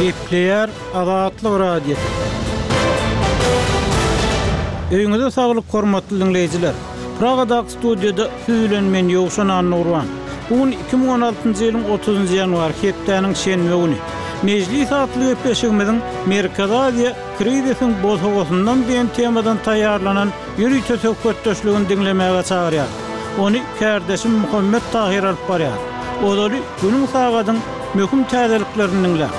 Gepleýär Azatlyk Radiosy. Öýüňize saglyk hormatly diňleýjiler! Pragadaky studiýada siz bilen men Ýowşan Annagurban. Bu gün 2016-njy ýylyň 30-njy ýanwary hepdäniň şenbe güni. Mejlis atly gepleşigimiziň Merkezi Aziýa krizisiň bosagasyndan diýen temadan taýýarlanan ýörite söhbetdeşligini diňlemäge çagyrýar. Ony kärdeşim Muhammet Tahyr alyp barýar. Ozaly günüň sagadyň möhüm täzeliklerini diňläň.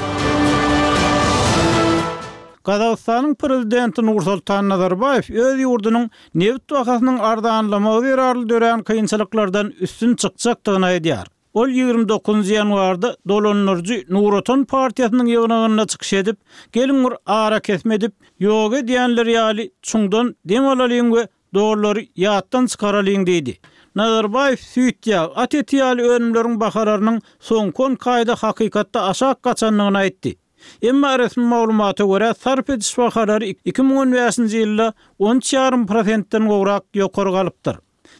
Gazagystanyň prezidenti Nursultan Nazarbaýew öz ýurdunyň nebit bahasynyň arzanlamagy zerarly dörän kynçylyklardan üstün çykjakdygyny aýdýar. Ol 29 ýanwarda dolandyryjy Nur Otan partiýasynyň ýygnagynda çykyş edip, Geliň bir arakesme edip, ýoga edýänler ýaly çuňdan dem alalyň we dollary ýatdan çykaralyň diýdi. Nazarbaýew süýt, ýag, at eti ýaly önümleriň bahalarynyň soňky on iki aýda hakykatda aşak gaçandygyny aýtdy. Emma resmi maglumata görä, sarp ediş bahalary 2015-nji ýylda on üç ýarym prosentden gowrak ýokary galypdyr.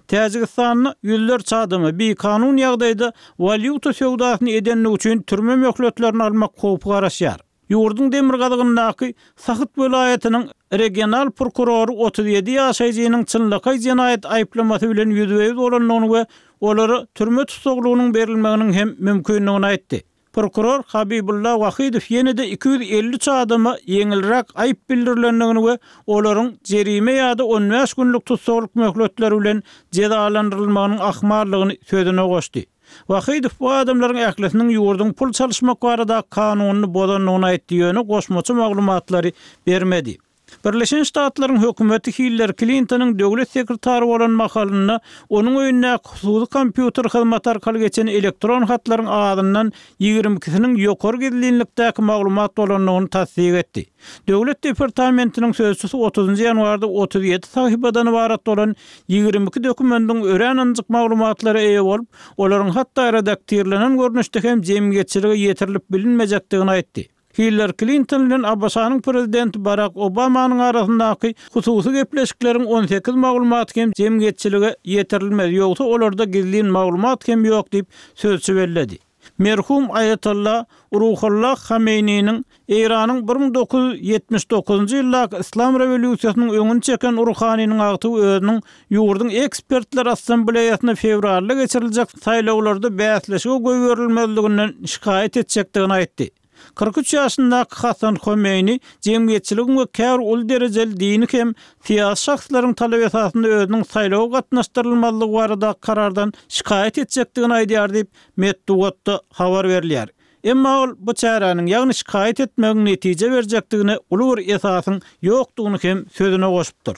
Täjigistanda ýüzlerçe adama bikanun ýagdaýda walýuta söwdasyny edendigi üçin türme möhletlerini almak howpy garaşýar. Ýurduň demirgazygyndaky Sahyt welaýatynyň regional prokurory 37 ýaşaýjynyň çynlakaý jenaýat aýyplamasy bilen ýüzbe-ýüz bolandygyny we olara türme tussaglygynyň berilmeginiň hem mümkindigini aýtdy. Prokuror Habibulla Wahidow ýene-de 253 adama ýeňilräk aýyp bildirilendigini we olaryň jerime ýa-da on bäş günlük tussaglyk möhletleri bilen jezalandyrylmagynyň ahmaldygyny sözüne goşdy. Wahidow bu adamlaryň ählisiniň ýurduň pul çalyşmak baradaky kanunyny bozandygyny aýtdy, ýöne goşmaça maglumatlary bermedi. Birleşen Ştatlaryň hökümeti Hillari Klintonyň döwlet sekretary bolan mahalynda onuň öýündäki hususy kompýuter hyzmaty arkaly geçen elektron hatlaryň azyndan 22-siniň ýokary gizlinlikdäki maglumat bolandygyny tassyk etdi. Döwlet departamentiniň sözçüsi otuzynjy ýanwarda 37 sahypadan ybarat bolan 22 dokumendiň örän ynjyk maglumatlara eýe bolup, olaryň hatda redaktirlenen görnüşde hem jemgyýetçilige ýetirilip bilinmejekdigini aýtdy. Hillari Klinton bilen ABŞ-nyň prezidenti Barak Obamanyň arasyndaky hususy gepleşikleriň 18 maglumaty hem jemgyýetçilige ýetirilmez, ýogsa olarda gizlin maglumat hem ýok diýip, sözçi belledi. Merhum Aýatolla Ruhollah Hameýniniň Eýranyň 1979-njy ýyldaky Yslam rewolýusiýasynyň öňüni çeken ruhanynyň agtygy özüniň ýurduň Ekspertler assambleýasynda fewralda geçiriljek saýlawlarda bäsleşige goýberilmezliginden şikaýat etjekdigini aýtdy. 43 ýaşyndaky Hasan Homeýni jemgyýetçiligiň we käbir uly derejeli dini hem syýasy şahslaryň talaby esasynda özüniň saýlawa gatnaşdyrylmazlygy baradaky karardan şikaýat etjekdigini aýdýar diýip, metbugatda habar berilýär. Emma ol bu çäräniň, ýagny şikaýat etmegiň netije berjekdigine uly bir esasyň ýokdugyny hem sözüne goşupdyr.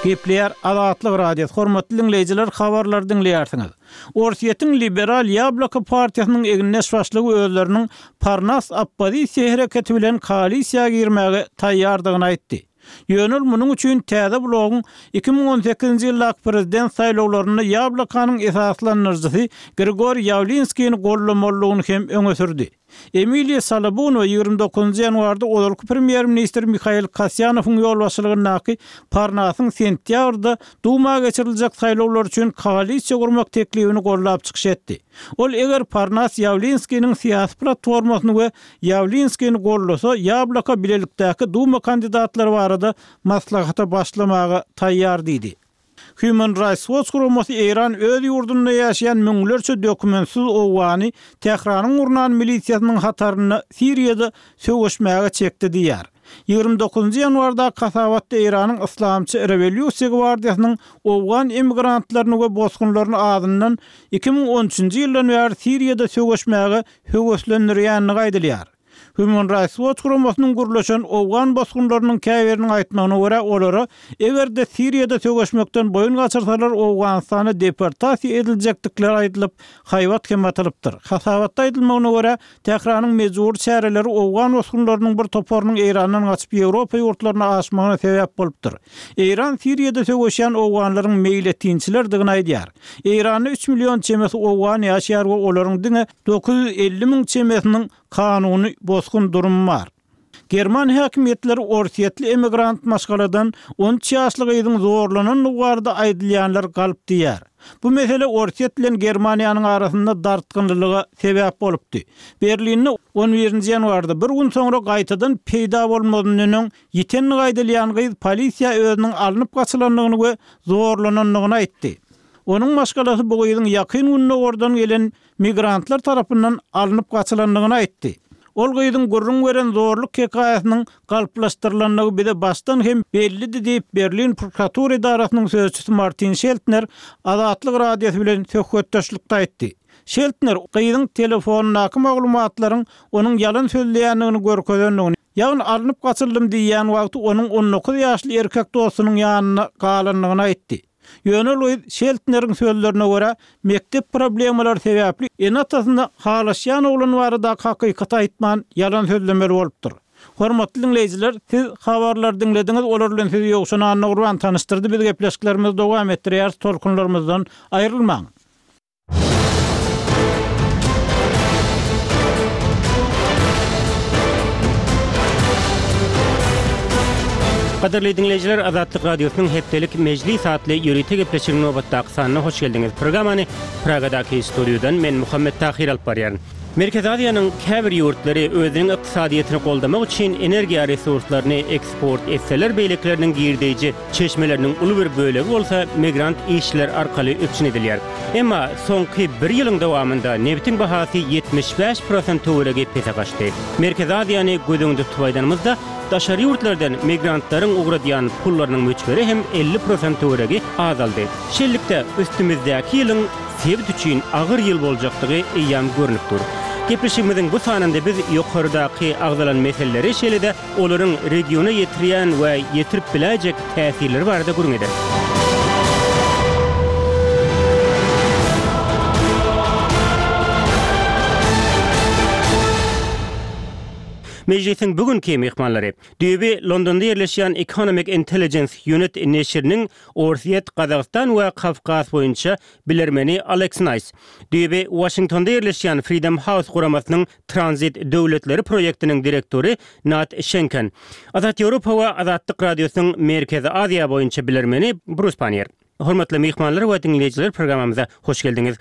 Gepleýär Azatlyk Radiosy, hormatly diňleýjiler, habarlary diňleýärsiňiz. Orsýetiň liberal Ýabloko partiýasynyň egindeş başlygy özleriniň Parnas oppozisiýa hereketi bilen koalisiýa girmäge taýýardygyny aýtdy. Ýöne ol munuň üçin täze blogyň 2018-nji ýyldaky prezident saýlawlarynda Ýablokanyň esaslandyryjysy Grigoriý Ýawlinskini goldamalydygyny hem öňe sürdi. Emiliýa Salabunowa 29 ýanwarda ozalky premýer-ministr Mihail Kasýanowyň ýolbaşçylygyndaky Parnasyň sentýabrda Duma geçiriljek saýlawlar üçin koalisiýa gurmak teklibini goldap çykyş etdi. Ol eger Parnas Ýawlinskiniň syýasy platformasyny we Ýawlinskini goldasa, Ýabloko bilelikdäki Duma kandidatlary barada maslahata başlamaga taýýar diýdi. Human Rights Watch guramasy Eýran öz ýurdunda ýaşaýan müňlerçe dokumentsiz owgany Tähranyň gurnan milisiýasynyň hatarynda Siriýada söweşmäge çekdi diýýär. 29-njy ýanwardaky hasabatda Eýranyň Yslamçy rewolýusiýa gwardiýasynyň owgan emigrantlaryny we bosgunlaryny azyndan 2013-nji ýyldan bäri Siriýada söweşmäge höweslendirýändigi aýdylýar. Human Rights Watch guramasynyň gürleşen owgan bosgunlarynyň käbiriniň aýtmagyna görä, olara eger-de Siriýada söweşmekden boýun gaçyrsalar Owganystana deportasiýa ediljekdikleri aýdylyp, haýbat hem atylypdyr. Hasabatda aýdylmagyna görä, Tähranyň mejbury çäreleri owgan bosgunlarynyň bir toparynyň Eýrandan gaçyp Ýewropa ýurtlaryna aşmagyna sebäp bolupdyr. Eýran Siriýada söweşýän owganlaryň meýletinçilerdigini aýdýar. Eýranda üç million çemesi owgan ýaşaýar we olaryň diňe 950 müň çemesiniň kanuny bosgun durumy bar. German häkimiýetleri orsýetli emigrant maşgaladan 13 ýaşly gyzyň zorlanandygy barada aýdylýanlar galp diýýär. Bu mesele Orsýet bilen Germaniýanyň arasynda dartgynlylyga sebäp bolupdy. Berlinde on birinji ýanwarda, bir gün soňra gaýtadan peýda bolmazyndan öň ýitendigi aýdylýan gyz polisiýa özüniň alnyp gaçylandygyny we zorlanandygyny aýtdy. Onuň maşgalasy bu gyzyň Ýakyn Gündogardan gelen migrantlar tarapyndan alnyp gaçylandygyny aýtdy. Ol gyzyň gürrüň beren zorluk hekaýasynyň galplaşdyrylandygy bize başdan hem bellidi diýip, Berlin prokuratura edarasynyň sözçüsi Martin Şeltner Azatlyk Radiosy bilen söhbetdeşlikde aýtdy. Şeltner gyzyň telefonyndaky maglumatlaryň onuň ýalan sözleýändigini görkezendigini, ýagny alnyp gaçyldym diýýän wagty onuň 19 ýaşly erkek dostunyň ýanynda galandygyny aýtdy. Ýöne Luiz Şeltneriň sözlerine görä, mekdep problemalary sebäpli ene-atasyna halaşýan oglan baradaky hakykaty aýtman, ýalan sözlemeli bolupdyr. Hormatly diňleýjiler, siz habarlary diňlediňiz, olar bilen sizi Ýowşan Annagurban tanyşdyrdy, biz gepleşiklerimizi dowam etdirýäris, tolkunlarymyzdan aýrylmaň. Gadyrly diňleýjiler, Azatlyk Radiosynyň hepdelik Mejlis atly ýörite gepleşiginiň nobatdaky sanyna hoş geldiňiz. Programmany Pragadaky studiýadan men Muhammet Tahyr alyp barýaryn. Merkezi Aziýanyň käbir ýurtlary özüniň ykdysadyýetini goldamak üçin energiýa resurslaryny eksport etseler, beýlekileriniň girdeýji Çeşmeleriniň uly bir bölegi bolsa migrant işçiler arkaly üpjün edilýär. Emma soňky bir ýylyň dowamynda nebitiň bahasy 75 prosent töweregi pese gaçdy. Merkezi Aziýany göz öňünde tutup aýdanymyzda, daşary ýurtlardan migrantlaryň ugradýan pullarynyň möçberi hem 50 prosent töweregi azaldy. Şeýlelikde, üstümizdäki ýylyň sebit üçin agyr ýyl boljakdygy eýýäm görnüp dur. Gepleşigimiziň bu sanynda biz ýokardaky agzalan meseleleri, şeýle-de olaryň regiona ýetirýän we ýetirip biläýjek täsirleri barada gürrüň ederis. Mejlisiň bu günki myhmanlary, düýbi Londonda ýerleşýän Economic Intelligence Unit neşiriniň Orsýet, Gazagystan we Kawkaz boýunça bilermeni Aleks Naýs, düýbi Waşingtonda ýerleşýän Freedom House guramasynyň Tranzit döwletleri proýektiniň direktory Nat Şenken, Azat Ýewropa we Azatlyk Radiosynyň Merkezi Aziýa boýunça bilermeni Brus Panniýer. Hormatly myhmanlar we diňleýjiler programmamyza hoş geldiňiz.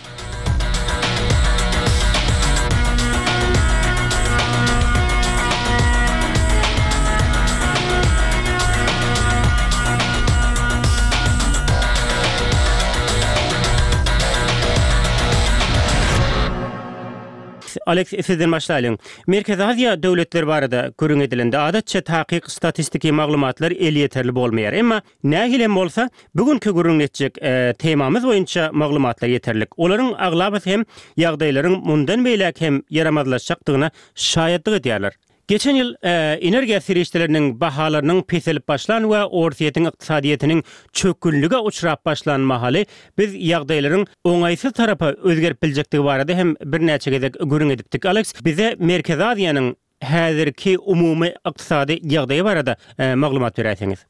Aleks, sizden başlaýlyň. Merkezi Aziýa döwletleri barada gürrüň edilende, adatça takyk statistiki maglumatlar elýeterli bolmaýar. Emma, nähili hem bolsa, bu günki gürrüňini etjek temamyz boýunça maglumatlar ýeterlik. Olaryň aglabasy hem ýagdaýlaryň mundan beýläk hem ýaramazlaşjakdygyna şaýatlyk edýärler. Geçen ýyl energiýa serişdeleriniň bahalarynyň peselip başlan we Orsýetiň ykdysadyýetiniň çökgünlige uçrap başlan mahaly biz ýagdaýlaryň oňaýsyz tarapa özgerip biljekdigi barada hem birnäçe gezek gürrüň edipdik. Aleks, bize Merkezi Aziýanyň häzirki umumy ykdysady ýagdaýy barada maglumat beräýseňiz.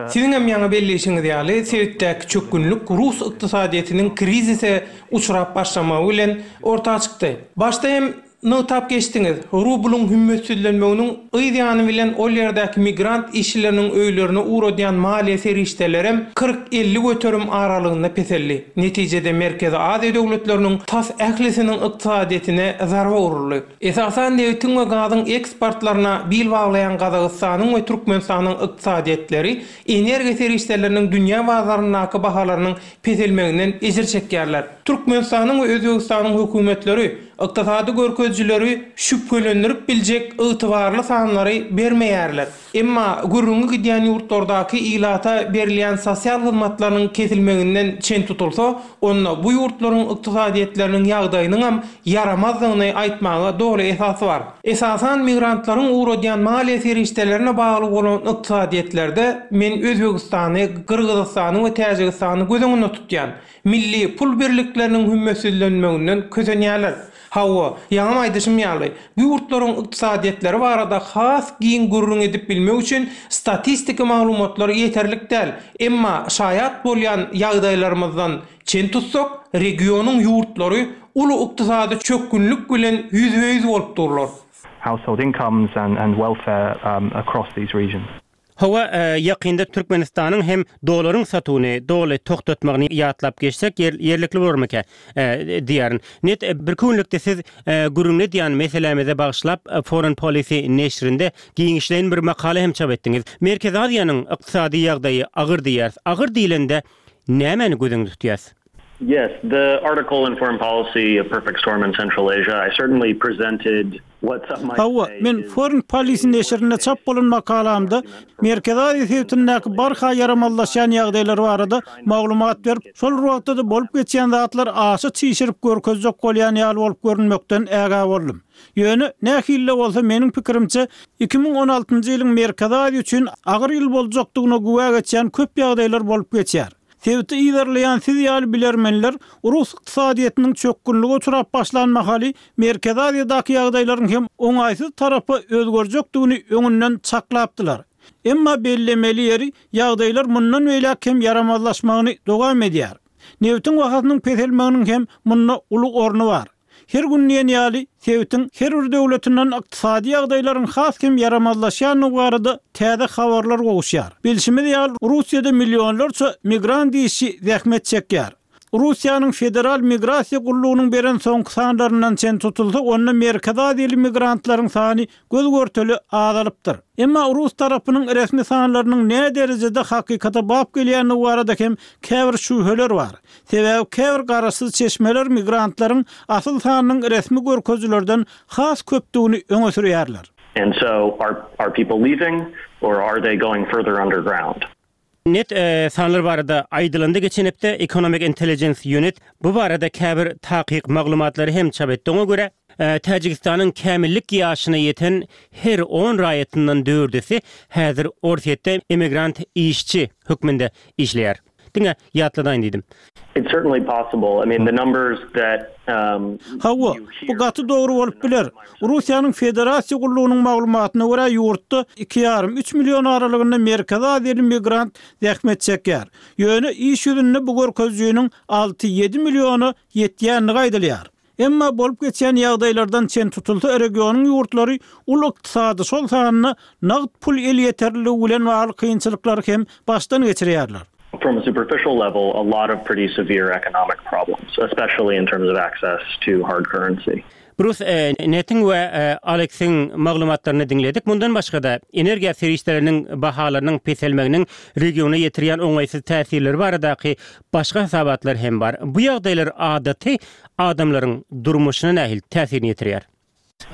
Siziňem ýaňy belleýşiňiz ýaly, sebitdäki çökgünlik rus ykdysadyýetiniň krizise uçrap başlamagy bilen orta çykdy. Başda hem nygtap geçdiňiz, rublyň hümmetsizlenmeginiň yz ýany bilen ol ýerdäki migrant işçileriniň öýlerine ugradýan maliýe serişdelerem 40-50 göterim aralygynda peseldi. Netijede Merkezi Aziýa döwletleriniň tas ählisiniň ykdysadyýetine zarba uruldy. Esasan nebitiň we gazyň eksportlaryna bil baglaýan Gazagystanyň we Türkmenistanyň ykdysadyýetleri energiýa serişdeleriniň dünýä bazaryndaky bahalarynyň peselmeginden ejir çekýärler. Türkmenistanyň we Özbegistanyň hökümetleri ykdysady görkezijileri şübhelendirip biljek ygtybarly sanlary bermeýärler. Emma gürrüňi gidýän ýurtlardaky ilata berilýän sosial hyzmatlarynyň kesilmeginden çen tutulsa, onda bu ýurtlaryň ykdysadyýetleriniň ýagdaýynyňam ýaramazdygyny aýtmaga doly esas bar. Esasan migrantlaryň ugradýan maliýe serişdelerine bagly bolan ykdysadyýetlerde men Özbegistany, Gyrgyzystany we Täjigistany göz öňünde tutýan. Milli pul birlikleriniň hümmetsizlenmeginden kösenýärler. Hawa, ýaňam aýdyşym ýaly, bu ýurtlaryň ykdysadyýetleri barada has giň gürrüň edip bilmeris. bilmek üçin statistiki maglumatlar ýeterlik däl, emma şaýat bolýan ýagdaýlarymyzdan çen tutsak, regionyň ýurtlary uly ykdysady çökgünlik bilen ýüzbe-ýüz bolup durlar. household incomes and welfare across these regions. Hawa, ýakynda Türkmenistanyň hem dolaryň satuwyny doly togtatmagyny ýatlap geçsek ýerlikli bolarmyka diýýärin. Net birki günlükde siz gürrüňini edýän meselämize bagyşlap Foreign Policy neşirinde giňişleýin bir makala hem çap etdiňiz. Merkezi Aziýanyň ykdysady ýagdaýy agyr diýýäris. Agyr diýlende nämäni göz öňünde tutýas? Yes, the article in Foreign Policy, A Perfect Storm in Central Asia, I certainly presented what some might Hawa, say men is Foreign Policy a neşirinde çap worst-case bolan makalamda argument for Merkezi Aziýa sebitindäki barha ýaramazlaşýan ýagdaýlar barada maglumat berip, şol bir wagtda-da bolup geçýän zatlary aşa çişirip görkezjek bolýan ýaly bolup görünmekden ägä boldum. Ýöne, nähili-de bolsa, meniň pikirimçe, 2016-njy ýylyň Merkezi Aziýa üçin agyr ýyl boljakdygyna güwä geçýän köp ýagdaýlar bolup geçýär. Sebiti yzarlaýan siz ýaly bilermenler rus ykdysadyýetiniň çökgünlige uçrap başlan mahaly Merkezi Aziýadaky ýagdaýlaryň hem oňaýsyz tarapa özgerjekdigini öňünden çaklapdylar. Emma bellemeli ýeri, ýagdaýlar mundan beýläk hem ýaramazlaşmagyny dowam edýär. Nebitiň bahasynyň peselmeginiň hem munda uly orny bar. Her gün diýen ýaly, sebitiň her bir döwletinden ykdysady ýagdaýlaryň has hem ýaramazlaşýandygy barada täze habarlar gowuşýar. Bilşimiz ýaly, Russiýada millionlarça migrant işçi zähmet çekýär. Russiýanyň Federal migrasiýa gullugynyň beren soňky sanlaryndan çen tutulsa, onda Merkezi Aziýaly migrantlaryň sany göz-görtele azalypdyr. Emma rus tarapynyň resmi sanlarynyň näderejede hakykata bap gelýändigi barada hem käbir şübheler bar. Sebäbi käbir garaşsyz çeşmeler migrantlaryň asyl sanynyň resmi görkezijilerden has köpdügini öňe sürýärler. And so are are people leaving or are they going further underground? Net sanlar barada aýdylanda geçen hepde Economic Intelligence Unit bu barada käbir takyk maglumatlary hem çap etdi. Oňa görä, Täjigistanyň kämillik ýaşyna ýeten her on raýatyndan dördüsi häzir Orsýetde emigrant işçi hökmünde işleýär. Diňe ýatladaýyn diýdim. It's certainly possible. I mean, the numbers that Hawa, bu gaty dogry bolup biler. Russiýanyň Federasiýa gullugynyň maglumatyna görä, ýurtda iki ýarym, üç million aralygynda Merkezi Aziýaly migrant zähmet çekýär. Ýöne iş ýüzünde bu görkezijiniň alty, ýedi milliona ýetýändigi aýdylýar. Emma bolup geçýän ýagdaýlardan çen tutulsa, regionyň ýurtlary uly ykdysady, şol sanda nagt pul elýeterliligi bilen bagly kynçylyklary hem başdan geçirýärler. From a superficial level, a lot of pretty severe economic problems, especially in terms of access to hard currency. Brus Netiň we Aleksiň maglumatlaryny diňledik. Mundan başga-da, energiýa serişdeleriniň bahalarynyň peselmeginiň regiona ýetirýän oňaýsyz täsirleri baradaky başga hasabatlar hem bar. Bu ýagdaýlar adaty adamlaryň durmuşyna nähili täsirini ýetirýär?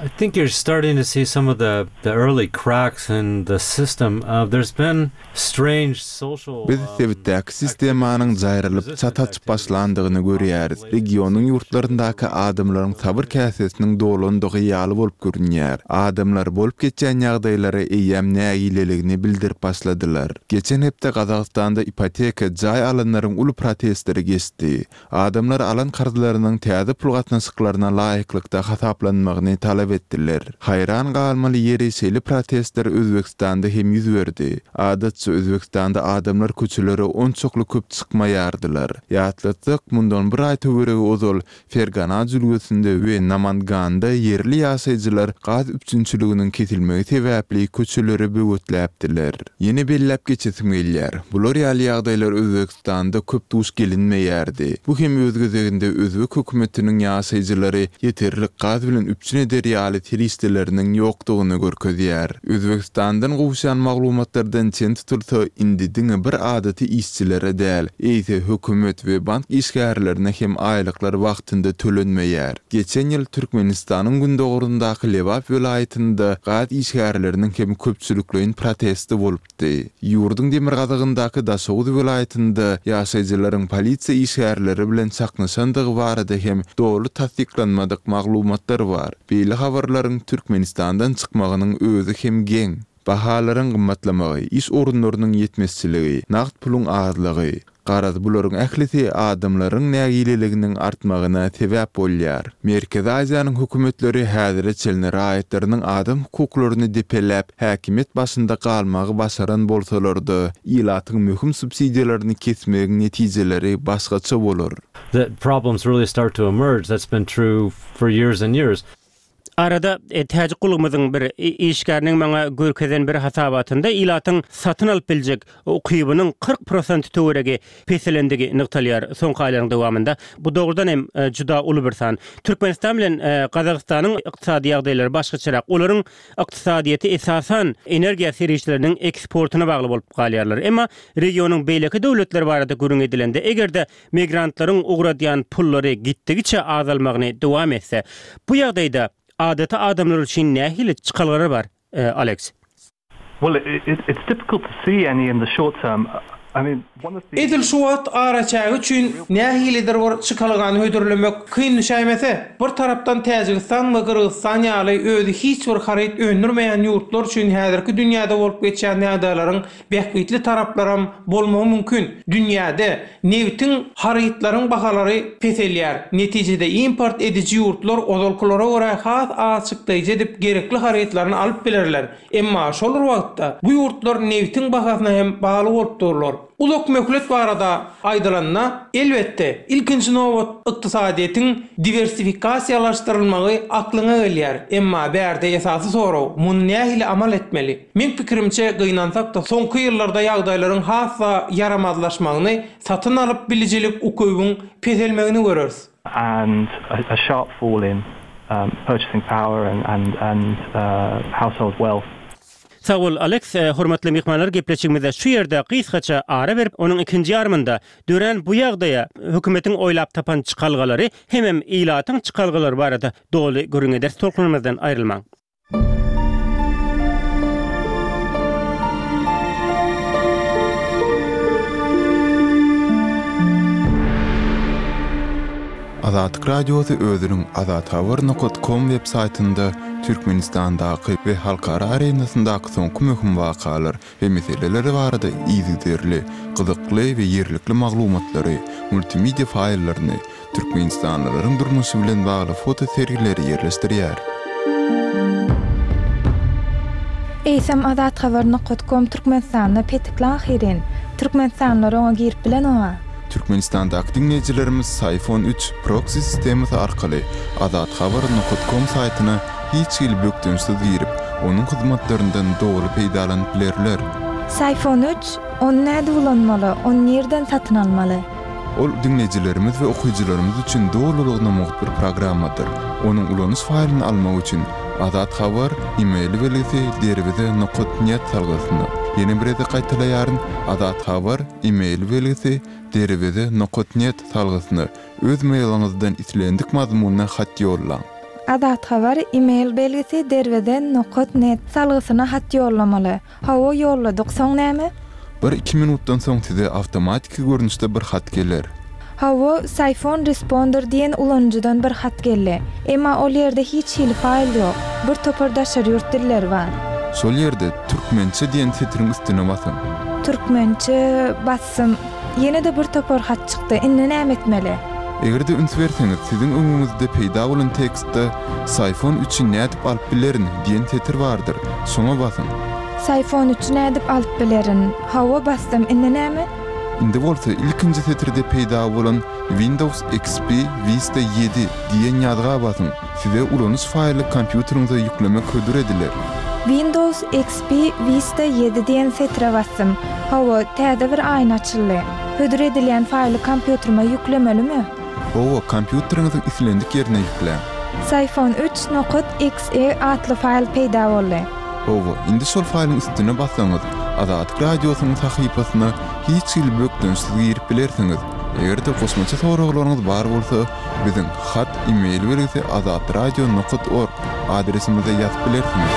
I think you're starting to see some of the the early cracks in the system. There's been strange social Biz sebitdäki sistemanyň jaýrylyp, çat açyp başlandygyny görýäris. Regionyň ýurtlaryndaky adamlaryň sabyr käsesiniň dolandygy ýaly bolup görünýär. Adamlar bolup geçýän ýagdaýlara eýýäm nägileligini bildirip başladylar. Geçen hepde Gazagystanda ipoteka jaý alanlaryň uly protestleri geçdi. Adamlar alan karzlarynyň täze pul gatnaşyklaryna laýyklykda hasaplanmagyny talap etdiler. Haýran galmaly ýeri şeýle protestler Özbegistanda hem ýüz berdi. Adatça Özbegistanda adamlar köçelere onçakly köp çykmaýardylar. Ýatlatsak, mundan bir aý töweregi ozal Fergana jülgesinde we Namanganda ýerli ýaşaýjylar gaz üpjünçiliginiň kesilmegi sebäpli köçeleri böwetläpdiler. Ýene belläp geçesim gelýär, bular ýaly ýagdaýlar Özbegistanda köp duş gelinmeýärdi. Bu hem öz gezeginde özbek hökümetiniň ýaşaýjylary ýeterlik gaz bilen üpjün eder ýaly serişdeleriniň ýokdugyny görkezýär. Özbegistandan gowuşýan maglumatlardan çen tutulsa, indi diňe bir adaty işçilere däl, eýse hökümet we bank işgärlerine hem aýlyklar wagtynda tölenmeýär. Geçen ýyl Türkmenistanyň gündogaryndaky Lebap welaýatynda gaz işgärleriniň hem köpçülikleýin protesti bolupdy. Ýurduň demirgazygyndaky Daşoguz welaýatynda ýaşaýjylaryň polisiýa işgärleri bilen çaknyşandygy barada hem doly tassyklanmadyk maglumatlar bar. Beýle habarlaryň Türkmenistandan çykmagynyň özi hem geň. Bahalaryň gymmatlamagy, iş orunlarynyň ýetmezçiligi, nagt puluň azlygy. Garaz, bularyň ählisi adamlaryň nägileliginiň artmagyna sebäp bolýar. Merkezi Aziýanyň hökümetleri häzire çenli raýatlarynyň adam hukuklaryny depeläp, häkimiýet başynda galmagy başaran bolsalar-da, ilatyň möhüm subsidiýalaryny kesmegiň netijeleri başgaça bolar. The problems really start to emerge, that's been true for years and years. Arada täjik gullugymyzyň bir işgäriniň maňa görkezen bir hasabatynda ilatyň satyn alyp biljek ukybynyň 40 prosent töweregi peselendigi nygtalýar soňky aýlaryň dowamynda. Bu dogrudan hem juda uly bir san. Türkmenistan bilen Gazagystanyň ykdysady ýagdaýlary başgaçarak. Olaryň ykdysadyýeti esasan energiýa serişdeleriniň eksportyna bagly bolup galýarlar. Emma regionyň beýleki döwletleri barada gürrüň edilende, eger-de Migrantlaryň ugradýan pullary gitdigiçe azalmagyny dowam etse, bu ýagdaýda adaty adamlar üçin nähili çykalgalar bar, Aleks? Well, it's difficult to see any in the short term. I mean, one of the. Edil şu wagt araçägi üçin nähilidir bir çykalgany hödürlemek kyn düşäýmese, bir tarapdan Täjigistan we Gyrgyzystan ýaly özi hiç bir haryt öndürmeýän ýurtlar üçin häzirki dünýäde bolup geçýän ýagdaýlaryň Bähbitli taraplaram bolmagy mümkin. Dünýäde nebitiň, harytlaryň bahalary peselýär. Netijede import ediji ýurtlar ozalkylara görä has az çykdaýjy edip gerekli harytlaryny alyp bilerler. Emma şol bir wagtda bu ýurtlar nebitiň bahasyna hem bagly bolup durlar. Uzak möhlet barada aýdylanda, elbetde, ilkinji nobat ykdysadyýetiň diwersifikasiýalaşdyrylmagy aklyňa gelýär. Emma bärde esasy sorag, muny nähili amal etmeli? Meň pikirimçe, gynansak-da, soňky ýyllarda ýagdaýlaryň has-da ýaramazlaşmagyny, satyn alyp bilijilik ukybyň peselmegini göreris. And a sharp fall in purchasing power and and household wealth. Sag bol, Aleks. Hormatly myhmanlar, gepleşigimize şu ýerde gysgaça ara berip, onuň ikinji ýarymynda dörän bu ýagdaýa hökümetiň oýlap tapan çykalgalary hemem ilatyň çykalgalary barada doly gürrüň ederis. Tolkunymyzdan aýrylmaň. Azatlyk Radiosy özüniň azathabar nokat kom web saýtynda Türkmenistandaky we halkara arenasyndaky soňky möhüm wakalar we meseleler barada yzygiderli, gyzykly we ýerlikli maglumatlary, multimedia faýllaryny, Türkmenistanlylaryň durmuşy bilen bagly foto sergileri ýerleşdirýär. Eýsem Azathabar nokat kom Türkmenistanda petikli ahyryn. Türkmenistanlylar oňa girip bilenoga. Türkmenistandaky diňleýjilerimiz Syfon üç proksi sistemasy arkaly Azathabar nokat kom saýtyna hiç hili bökdençsiz girip, onuň hyzmatlaryndan doly peýdalanyp bilerler. Syfon üç, ony nädip ulanmaly, ony nirden satyn almaly? Ol diňleýjilerimiz we okyjylarymyz üçin dolulygyna mugt bir programmadyr. Onuň ulanyş faýlyny almak üçin Azat Habar e-mail belgisi derweze nokat net salgysyna, ýene bir gezek gaýtalaýaryn, Azat Habar e-mail belgisi derweze nokat net salgysyna öz mailiňizden islendik mazmunda hat ýollaň. Azat Habar e-mail belgisi derweze nokat net salgysyna hat ýollamaly. Hawa ýolladyk, soň näme? Bir-iki minutdan soň size awtomatiki görnüşde bir hat geler. Hawa, Syphon Responder diýen ulanyjydan bir hat geldi. Emma ol ýerde hiç hili faýl ýok. Bir topar daşary ýurt dilleri bar. Şol ýerde Türkmençe diýen setiriň üstüne basyň. Türkmençe basdym. Ýene-de bir topar hat çykdy. Indi näme etmeli? Eger-de üns berseňiz, siziň öňüňizde peýda bolan tekstde Syfon üçi nädip alyp bilerin diýen setir bardyr. Şoňa basyň. Syfon üçi nädip alyp bilerin? Hawa, basdym. Indi näme? Indi bolsa ilkinji setirde peýda bolan Windows XP Vista ýedi diýen ýazga basyň. Size ulanyş faýly kompýuteriňize ýüklemek hödür ediler. Windows XP Vista ýedi diýen setire basdym. Hawa, täze bir aýna açyldy. Hödür edilýän faýly kompýuterime ýüklemelimi? Hawa, kompýuteriňiziň islendik ýerine ýükläň. Syfon üç nokat XE atly faýl peýda boldy. Hawa, indi şol faýlyň üstüne bassaňyz, Azatlyk Radiosynyň sahypasyna hiç hili bökdençsiz girip bilersiňiz. Eger-de goşmaça soraglaryňyz bar bolsa, biziň hat e-mail belgisi azatradio nokat org adresimize ýazyp bilersiňiz.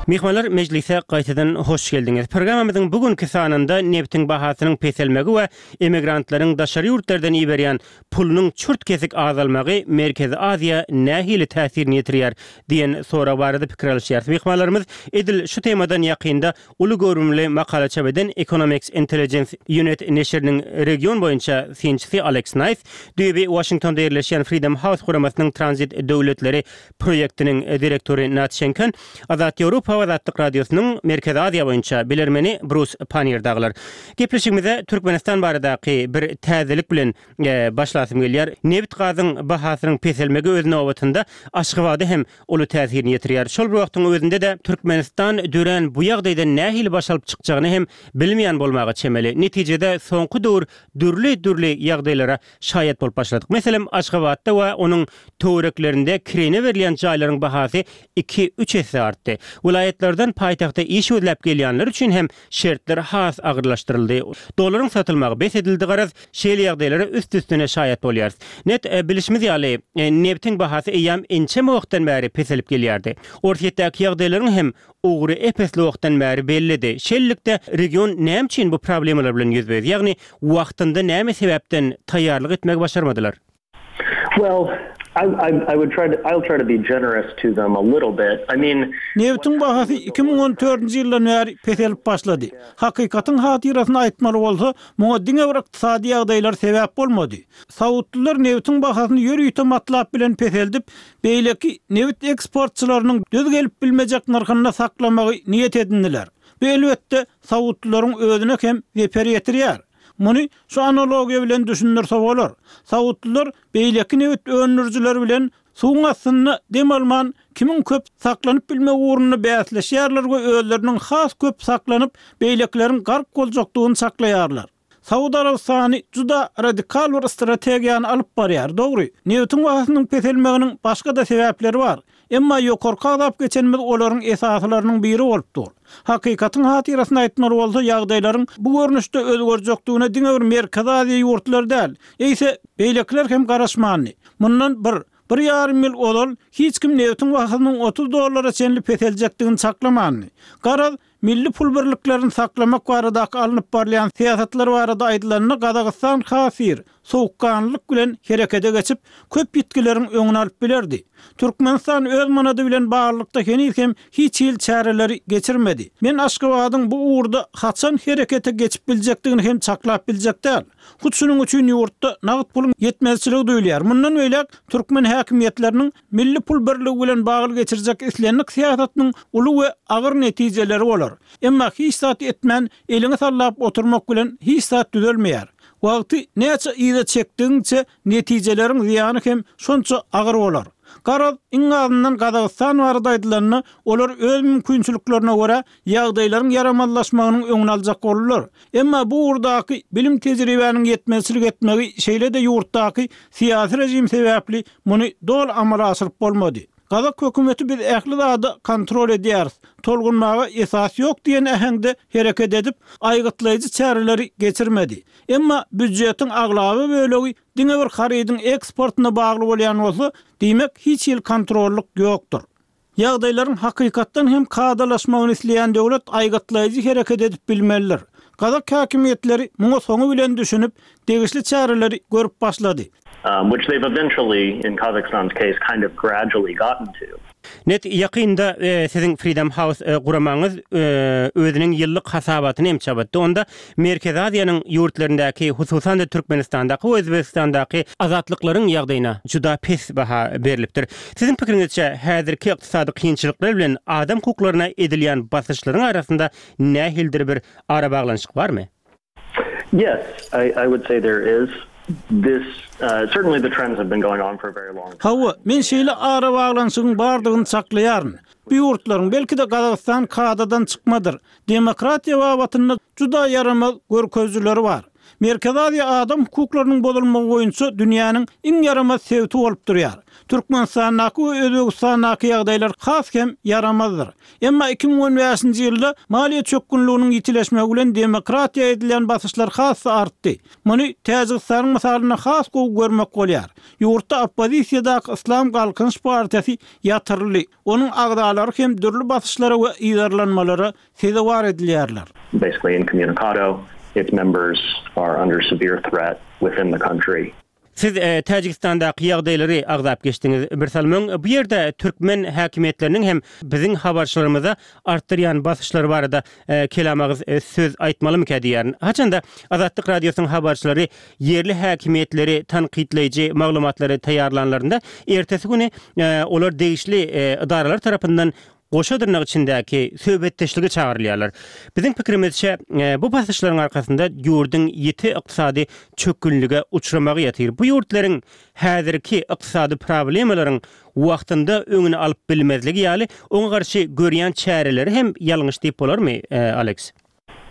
Myhmanlar mejlise gaýtadan hoş geldiňiz. Programmamyzyň bu günki sanynda nebtiň bahasynyň peselmegi we emigrantlaryň daşary ýurtlardan iberýän pulunyň çürt-kesik azalmagy Merkezi Aziýa nähili täsirini ýetirýär diýen sorag barada pikir alyşýarys. Myhmanlarymyz edil şu temadan ýakynda uly göwrümli makala çap eden Economics Intelligence Unit neşiriniň region boýunça synçysy Aleks Naýs, düýbi Waşingtonda ýerleşýän Freedom House guramasynyň tranzit döwletleri proýektiniň direktory Nat Şenken, Azat Ýewropa we Azatlyk Radiosynyň Merkezi Aziýa boýunça bilermeni Brus Pannier dagylar. Gepleşigimize Türkmenistan baradaky bir täzelik bilen başlasym gelýär. Nebit-gazyň bahasynyň peselmegi öz nobatynda Aşgabada hem uly täsirini ýetirýär. Şol bir wagtyň özünde-de Türkmenistan dörän bu ýagdaýdan nähili baş alyp çykjagyny hem bilmeýän bolmaga çemeli. Netijede soňky döwür dürli-dürli ýagdaýlara şaýat bolup başladyk. Meselem, Aşgabatda we onuň töwereklerinde kireýine berilýän jaýlaryň bahasy iki-üç esse artdy. Welaýatlardan paýtagta iş gözläp gelýänler üçin hem şertler has agyrlaşdyryldy. Dollaryň satylmagy bes edildi garaz, şeýle ýagdaýlara üst-üstüne şaýat bolýarys. Net, bilişimiz ýaly, nebtiň bahasy eýýäm ençeme wagtdan bäri peselip gelýärdi. Orsýetdäki ýagdaýlaryň hem ugry ep-esli wagtdan bäri bellidi. Şeýlelikde, region näme üçin bu problemalar bilen ýüzbe-ýüz? Ýagny, wagtynda näme sebäpden taýýarlyk etmegi başarmadylar? Well, I, I, I would try to, I'll try to be generous to them a little bit. I mean, Nebitiň bahasy 2014-nji ýyldan bäri peselip başlady. Hakykatyň hatyrasyna aýtmaly bolsa, muňa diňe bir ykdysady ýagdaýlar sebäp bolmady. Saudlylar nebitiň bahasyny ýörite matlap bilen peseldip, beýleki nebit eksportçylarynyň döz gelip bilmejek nyrhynda saklamagy niýet edindiler. Bu, elbetde, saudlylaryň özüne hem zeper ýetirýär. Muny şu analogiýa bilen düşündirse bolar. Saudlylar beýleki nebit öndürijiler bilen suwuň astynda dem alman kimiň köp saklanyp bilmegi ugrunda bäsleşýärler we özleriniň has köp saklanyp, beýlekileriň gark boljakdygyny çaklaýarlar. Saud Arabystany juda radikal bir strategiýany alyp barýar. Dogry, nebitiň bahasynyň peselmeginiň başga-da sebäpleri bar. Emma ýokarky agzap geçenimiz olaryň esasylarynyň biri bolup dur. Hakykatyň hatyrasyna aýtmaly bolsa, ýagdaýlaryň bu görnüşde özgerjekdigine diňe bir Merkezi Aziýa ýurtlary däl, eýse, beýlekiler hem garaşmandy. Mundan bir, bir ýarym ýyl ozal hiç kim nebitiň bahasynyň 30 dollara çenli peseljekdigini çaklamandy. Garaz, Milli pul birliklerini saklamak baradaky alnyp barylýan syýasatlar barada aýdylanda, Gazagystan has ir, sowukganlylyk bilen herekete geçip, köp ýitgileriň öňüni alyp bilerdi. Türkmenistan öz manady bilen baglylykda heniz hem hiç hili çäreleri geçirmedi. Men Aşgabadyň bu ugurda haçan herekete geçip biljekdigini hem çaklap biljek däl. Hut şunuň üçin ýurtda nagt puluň ýetmezçiligi duýulýar. Mundan beýläk türkmen häkimiýetleriniň milli pul birligi bilen bagly geçirjek islendik syýasatynyň uly we agyr netijeleri bolar. Emma hiç zat etmän, eliňi sallap oturmak bilen hiç zat düzelmeýär. Wagty näçe yza çekdigiňçe netijeleriň zyýany hem şonça agyr bolar. Garaz, iň azyndan Gazagystan barada aýdylanda, olar öz mümkinçiliklerine görä ýagdaýlaryň ýaramazlaşmagynyň öňüni aljak boldular. Emma bu ugurdaky bilim-tejribäniň ýetmezçilik etmegi, şeýle-de ýurtdaky syýasy režim sebäpli muny doly amala aşyryp bolmady. Gazak hökümeti biz ähli zady kontrol edýäris, tolgunmaga esas ýok diýen äheňde hereket edip, aýgytlaýjy çäreleri geçirmedi. Emma býujetiň aglaba bölegi diňe bir harydyň eksportyna bagly bolýan bolsa, diýmek hiç hili kontrollyk ýokdur. Ýagdaýlaryň hakykatdan hem kadalaşmagyny isleýän döwlet aýgytlaýjy hereket edip bilmelidir. Gazak häkimiýetleri muňa soňy bilen düşünip, degişli çäreleri görüp başlady. Which they've eventually, in Kazakhstan's case, kind of gradually gotten to. Net, ýakynda siziň Freedom House guramaňyz özüniň ýyllyk hasabatyny hem çap etdi. Onda Merkezi Aziýanyň ýurtlaryndaky, hususan-da Türkmenistandaky we Özbegistandaky azatlyklaryň ýagdaýyna juda pes baha berlipdir. Siziň pikiriňizçe, häzirki ykdysady kynçylyklar bilen adam hukuklaryna edilýän basyşlaryň arasynda nähilidir bir arabaglanyşyk barmy? Yes, I I would say there is. This certainly the trends have been going on for a very long time. Hawa, men şeýle arabaglanyşygyň bardygyny çaklaýaryn. Bu ýurtlaryň, belki-de Gazagystan kadadan çykmadyr, demokratiýa babatynda juda ýaramaz görkezijileri bar. Merkezi Aziýa adam hukuklarynyň bozulmagy boýunça dünýäniň iň ýaramaz sebiti bolup durýar. Türkmenistandaky we Özbegistandaky ýagdaýlar has hem ýaramazdyr. Emma 2015-nji ýylda maliýe çökgünliginiň ýitileşmegi bilen demokratiýa edilýän basyşlar has-da artdy. Muny Täjigistanyň mysalynda has gowy görmek bolýar. Ýurtda oppozisiýadaky Yslam Galkynyş partiýasy ýatyryldy, onuň agzalary hem dürli basyşlara we yzarlanmalara sezewar edilýärler. Basically incommunicado, its members are under severe threat within the country. Siz Täjigistandaky ýagdaýlary agzap geçdiňiz birsalym öň. Bu ýerde türkmen häkimiýetleriniň hem biziň habarçylarymyza artdyrýan basyşlary barada kelam agyz söz aýtmalymyka diýýärin. Haçanda Azatlyk Radiosynyň habarçylary ýerli häkimiýetleri tankytlaýjy maglumatlary taýýarlanlarynda, ertesi güni olar degişli edaralar tarapyndan goşa dyrnak içindäki söhbetdeşlige çagyrylýarlar. Biziň pikirimizçe, bu basyşlaryň arkasynda ýurduň ýiti ykdysady çökgünlige uçramagy ýatyr. Bu ýurtlaryň häzirki ykdysady problemalaryň wagtynda öňüni alyp bilmezligi ýaly, oňa garşy görýän çäreleri hem ýalňyş diýip bolarmy, Aleks?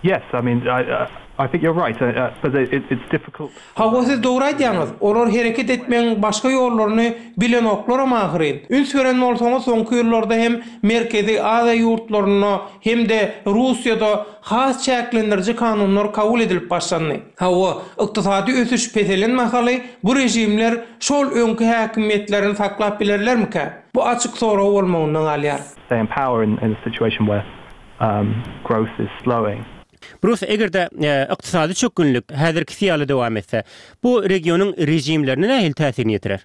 Yes, I mean, I, I think you're right, but it's difficult. Hawa, siz dogry aýdýaňyz. Olar hereket etmegiň başga ýollaryny bilenoklaram ahyryn. Üns beren bolsaňyz, soňky ýyllarda hem Merkezi Aziýa ýurtlarynda hem-de Russiýada has çäklendiriji kanunlar kabul edilip başlandy. Hawa, ykdysady ösüş peselen mahaly bu režimler şol öňki häkimiýetlerini saklap bilerlermikä? Bu açyk sorag bolmagynda galýar. Stay in power in a situation where growth is slowing. Brus, eger-de ykdysady çökgünlik häzirkisi ýaly dowam etse, bu regionyň režimlerine nähili täsirini ýetirer?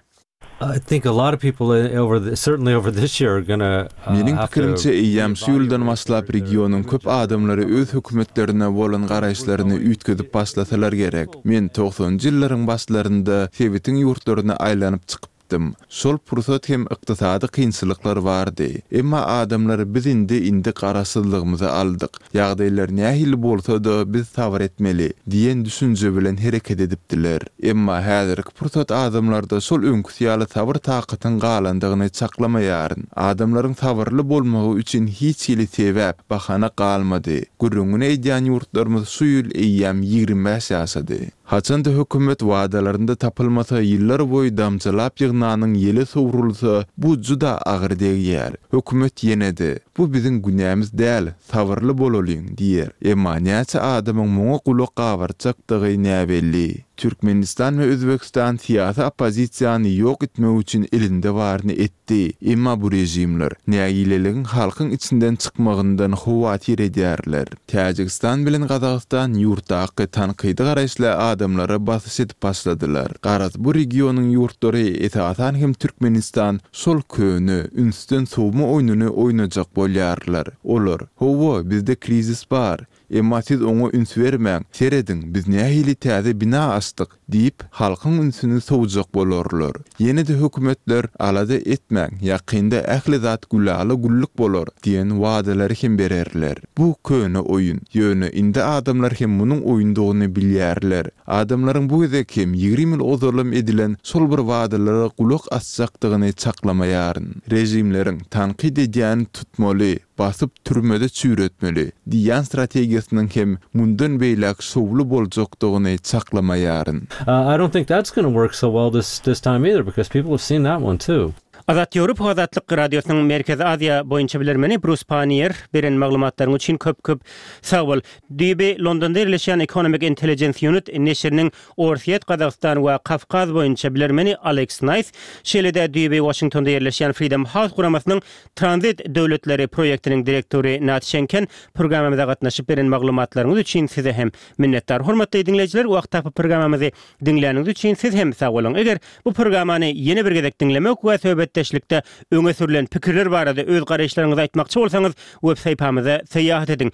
I think a lot of people over the, certainly over this year are gonna Meniň pikirimçe, eýýäm şu ýyldan başlap regionyň köp adamlary öz hökümetlerine bolan garaýyşlaryny üýtgedip başlasalar gerek. Men togsanynjy ýyllaryň başlarynda sebitiň ýurtlaryna aýlanyp çykypdym. Aýtdym. Şol pursat hem ykdysady kynçylyklar bardy. Emma adamlar biz indi indi garaşsyzlygymyzy aldyk. Ýagdaýlar nähili bolsa-da biz sabyr etmeli diýen düşünje bilen hereket edipdiler. Emma häzirki pursat adamlarda şol öňküsi ýaly sabyr-takatyň galandygyny çaklamaýaryn. Adamlaryň sabyrly bolmagy üçin hiç hili sebäp, bahana galmady. Gürrüňini edýän ýurtlarymyz şu ýyl eýýäm 25 ýaşady. Haçan-da hökümet wadalarynda tapylmasa, ýyllar boýy damjalap ýygnanyň ýele sowrulsa, bu juda agyr degýär. Hökümet ýene-de, Bu biziň günämiz däl, sabyrly bolalyň diýer. Emma näçe adamyň muňa gulak gabartjakdygy näbelli. Türkmenistan we Özbegistan syýasy oppozisiýany ýok etmek üçin elinde baryny etdi. Emma bu režimler nägileligiň halkyň içinden çykmagyndan howatyr edýärler. Täjigistan bilen Gazagystan ýurtdaky tankydy garaýyşly adamlara basyş edip başladylar. Garaz, bu regionyň ýurtlary, esasan hem Türkmenistan şol köne, ünsden sowma oýnuny oýnajak bolýarlar. Olar, Hawa, bizde krizis bar. Emma siz oňa üns bermäň, serediň, biz nähili täze bina açdyk diýip, halkyň ünsüni sowjak bolarlar. Ýene-de hökümetler, Alada etmäň, ýakynda ähli zat gülala-güllük bolar diýen wadalary hem bererler. Bu köne oýun. Ýöne indi adamlar hem munuň oýundygyny bilýärler. Adamlaryň bu gezek hem 20 ýyl ozalam edilen şol bir wadalara gulak asjakdygyny çaklamaýaryn. Režimleriň tankyt edýäni tutmaly, basyp türmede çüýretmeli diýýän strategiýasynyň hem mundan beýläk şowly boljakdygyny çaklamaýaryn. I don't think that's gonna work so well this this time either because people have seen that one too. Azat Ýewropa Azatlyk Radiosynyň Merkezi Aziýa boýunça bilermeni Brus Panniýer beren maglumatlaryň üçin köp köp sag bol. Düýbi Londonda ýerleşýän Economic Intelligence Unit neşiriniň Orsýet, Gazagystan we Kawkaz boýunça bilermeni Aleks Naýs, şeýle-de düýbi Waşingtonda ýerleşýän Freedom House guramasynyň Tranzit döwletleri proýektiniň direktory Nat Şenken programmamyza gatnaşyp beren maglumatlaryňyz üçin size hem minnetdar. Hormatly diňleýjiler wagt tapyp programmamyzy diňläniňiz üçin siz hem sag boluň. Eger bu programmany ýene bir gezek diňlemek we söhbetdeşlikde öňe sürlen pikirler barada öz garaýyşlaryňyzy aýtmakçy bolsaňyz web saýpamyza syýahat ediň.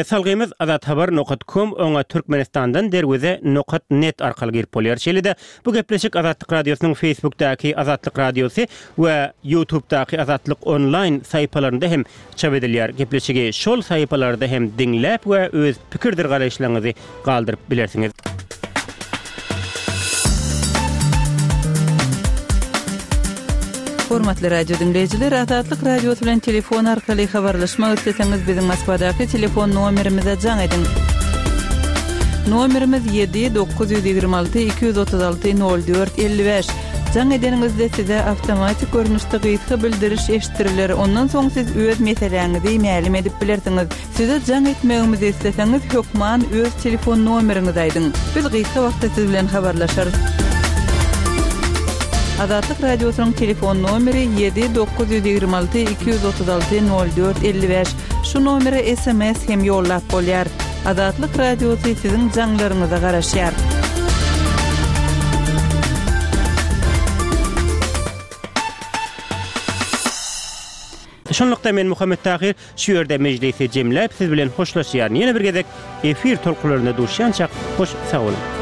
Salgymyz azathabar nokat kom oňa Türkmenistandan derweze nokat net arkaly girip bolýar. Şeýle-de bu gepleşik Azatlyk Radiosynyň Facebookdaky Azatlyk Radiosy we YouTubedaky Azatlyk Onlaýn sahypalarynda hem çap edilýär. Gepleşigi şol sahypalarda hem diňläp we öz pikirdir garaýyşlaryňyzy galdyryp bilersiňiz. Hormatly radio diňleýjiler, Azatlyk Radiosy bilen telefon arkaly habarlaşmak isleseňiz, biziň Moskwadaky telefon nomerimize jaň ediň. Nomerimiz ýedi 926 236 04 55. Jaň edeniňizde size awtomatik görnüşde gysga bildiriş eşitdiriler, ondan soň siz öz meseläňizi mälim edip bilersiňiz. Size jaň etmegimizi isleseňiz hökman öz telefon nomeriňizi aýdyň. Biz gysga wagtda siz bilen habarlaşarys. Azatlyk Radiosynyň telefon nomeri ýedi 926 236 04 55. Şu nomere sms hem ýollap bolýar. Azatlyk Radiosy siziň jaňlaryňyza garaşýar. Şunlukda men Muhammet Tahyr şu ýerde mejlisi jemläp siz bilen hoşlaşýaryn. Ýene bir gezek efir tolkunlarynda duşýançak hoş sag boluň.